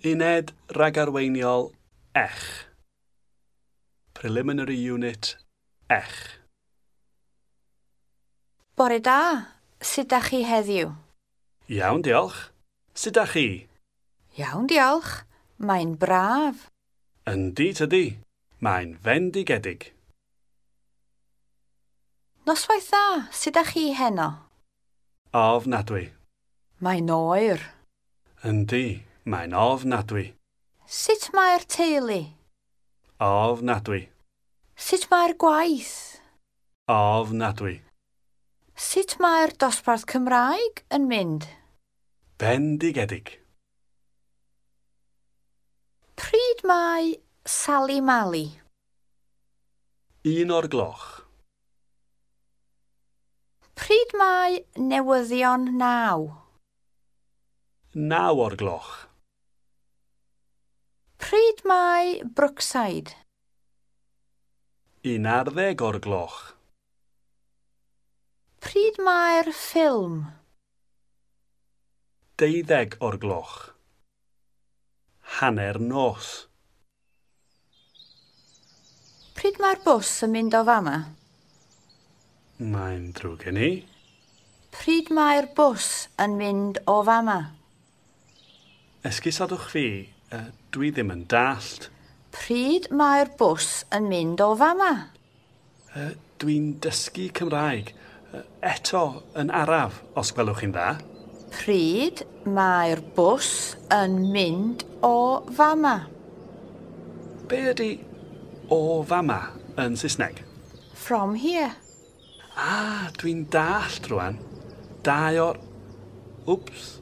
Uned ragarweiniol ech. Preliminary Unit ech. Bore da, sut dach chi heddiw? Iawn, diolch. Sut dach chi? Iawn, diolch. Mae'n braf. Yndi tydi. Mae'n fendigedig. Noswaith dda, sut dach chi heno? Ofnadwy. Mae'n oer. Yndi, mae'n ofnadwy. Sut mae'r teulu? Ofnadwy. Sut mae'r gwaith? Ofnadwy. Sut mae'r dosbarth Cymraeg yn mynd? Bendigedig. Pryd mae Sali Mali? 1 o'r gloch. Pryd mae newyddion 9? 9 o'r gloch. Pryd mae Brookside? 11 o'r gloch. Pryd mae'r ffilm? 12 o'r gloch. Hanner nos. Pryd mae'r bws yn mynd o fama? Mae'n drwg gen i. Pryd mae'r bws yn mynd o fama? Esgusodwch fi, dwi ddim yn dallt. Pryd mae'r bws yn mynd o fama? Dwi'n dysgu Cymraeg. Eto yn araf, os gwelwch chi'n dda. Pryd mae'r bws yn mynd o fama? Be ydy "o fama" yn Saesneg? From here. Ah, dwi'n dallt rwan. 2 o'r. Wps.